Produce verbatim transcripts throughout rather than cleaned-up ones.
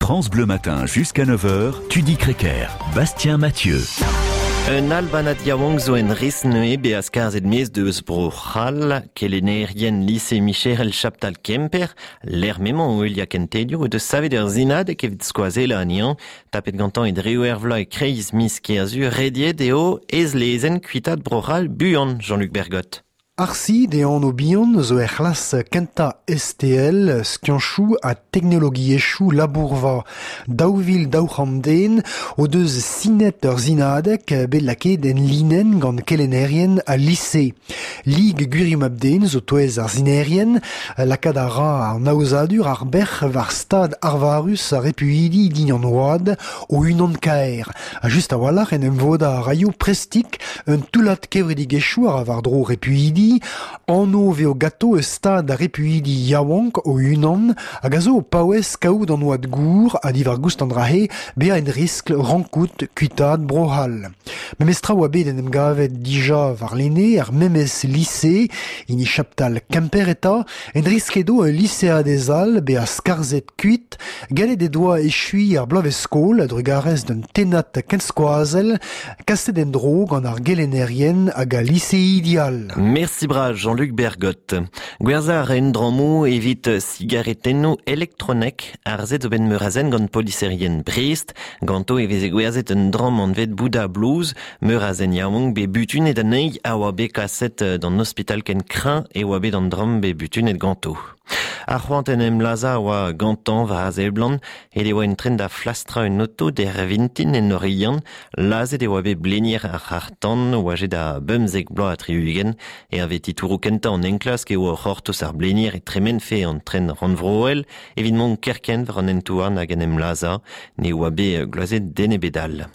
France Bleu Matin jusqu'à neuf heures, Tudi Crequer, Bastien Mathieu. Un albanad yaouank zo en riz neuze bezañ skarzhet maez deus bro C'hall, kelennerien lise Micherel Chaptal Kemper, lec'h m'emañ o heuliañ kentelioù o deus savet ur sinadeg evit skoazellañ anezhañ, tapet gantañ e drev er vloaz e-kreiz miz Kerzu, rediet eo ez-lezenn kuitaat bro C'hall buan, Jean-Luc Bergot. Arsi de an bihan zo er c'hlas kentañ S T L, skianchoù ha teknologiezhioù labourva. Daou vil daou c'hant den o deus sinet ur sinadeg bet lakaet en linenn gant kelennerien a lise. Lig Gwirioù Mab-den zo touez ar sinerien, lakaat a ra an aozadur ar bec'h war stad arvarus ar repuidi din an oad o unan kaer. Ha just a-walc'h en em voda a raio prestik un toullad kevredigezhioù ar war-dro repuidi, anv veo gato eus stad ar repuidi yaouank o unan hag a zo o paouez kaout an oad gour ha diwar goust an drahe bezañ en riskl rankout kuitaat Bro-C'hall. Memes tra oa bet en em gavet dija warlene ar memes lise, hini Chaptal Kemper eta, en risk edo ul liseadez all bezañ skarzhet kuit, gallet e doa echuiñ ar bloavezh-skol a-drugarez d'un tennad kenskoazell kaset en-dro gant ar gelennerien hag al liseidi all. Merci bras Jean-Luc Bergot. Gwerzhañ a ra un drammoù evit sigaretennoù elektronek arzet zo bet meur a zen gant poliserien Brest. Ganto e veze gwerzhet un dramm anvet Bouddha Blues. Meur a zen yaouank bet butunet anezhi a oa bet kaset d'an ospital ken kreñv e oa bet an dramm bet butunet ganto. Ar c'hoant en em lazhañ a oa gantañ war a seblant, et e oa en tren da flastrañ un oto d'er vintin en Oriant, lazhet e oa bet blenier ar c'harr-tan oajet da bemzek bloaz ha tri-ugent, e ave titouroù kentañ an enklask e oa c'hortoz ar blenier e tremenfe an tren rannvroel, evit mont kerkent war an hent-houarn hag en em lazhañ, ne oa bet gloazet den ebet all.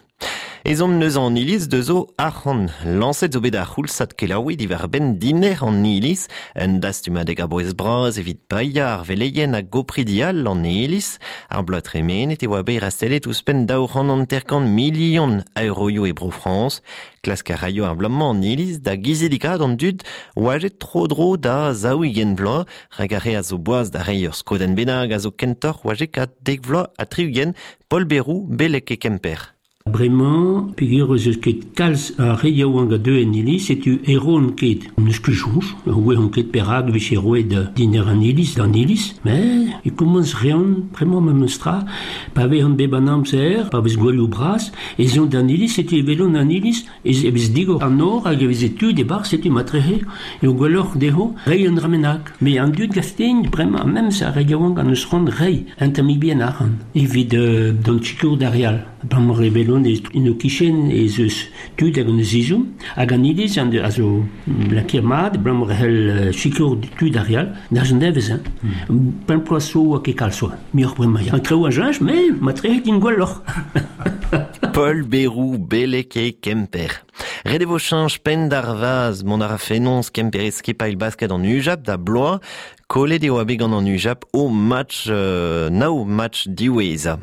Ezhomm neus an iliz deus zo arc'hant. Lañset zo bet ar c'houlzad kelaouiñ diwar-benn diner an iliz, un dastumadeg a-bouez bras evit paeañ ar veleien hag gopridi all an iliz. Ar bloaz tremenet e oa bet rastellet ouzhpenn daou c'hant hanter-kant milion a euroioù e Bro-Frañs. Klask a raio ar bloaz-mañ an iliz da gizidikaat an dud oajet tro-dro da zaou-ugent vloaz, rak ar re a zo boaz da reiñ ur skodenn bennak a zo kentoc'h oajet kat dek vloaz ha tri-ugent, Paul Berrou, beleg e Kemper. Bremañ, peogwir ez eus ket kalz a re yaouank a deu en iliz, setu e roont ket. N'eus ket soñj, oa ket perak vije roet diner an iliz d'an iliz, met e komañs reont, bremañ memes tra, pa vezont bep an amzer, pa vez gouelioù bras, ez eont d'an iliz, setu e welont an iliz, ez e vez digor an nor hag e veze tud e-barzh, setu matrehe, eo gwelloc'h dezho reiñ un dra bennak. Met an dud gaftein, bremañ, memes ar re yaouank an eus c'hoant reiñ un tammig bihan arc'hant, evit euh, d'an sikour d'ar re all. Bremañ e welont en o kichen ez eus tud hag an eus ezhomm, hag an iliz an a zo lakaet mat, bremañ e c'hell sikour tud ar re all, d'ar nevez, hein. Mm. Pemp bloaz zo oa ket kalz oa, muioc'h bremañ. An traoù a cheñch, met matrehe din gwelloc'h. Paul Berrou, beleg e Kemper. Ret e vo cheñch penn d'ar vazh, mont a ra fenoz Kemper skipailh basket an Ujap da bloaz, kollet eo a bet gant an Ujap o match, euh, nav match diwezhañ.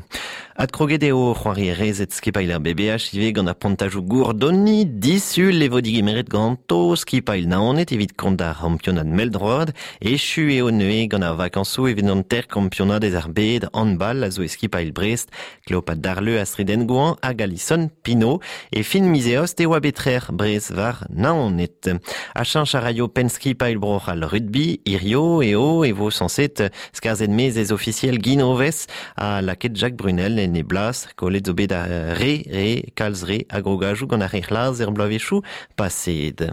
Adkroget eo c'hoari rezet skipailh ar B B H ivez gant ar pontajoù gourdonni, disul e vo digemeret ganto skipailh Naoned evit kont ar c'hampionad mell-droad, echu eo neuze gant ar vakañsoù evit an ter kampionad ez ar bed handball a zo e skipailh Brest, Cléopâtre Darleux, Astrid Engouan hag Alison Pinault, e fin miz eost e oa bet trec'h Brest war Naoned. A cheñch a raio penn skipailh Bro-C'hall rugby, hirio eo e vo sañset skarzhet maez ez ofisiel Guinoves ha lakaet Jacques Brunel en e blas, kollet zo bet a re, re, kalz re, a grogajoù gant ar re c'hlaz er bloavezhioù paseet.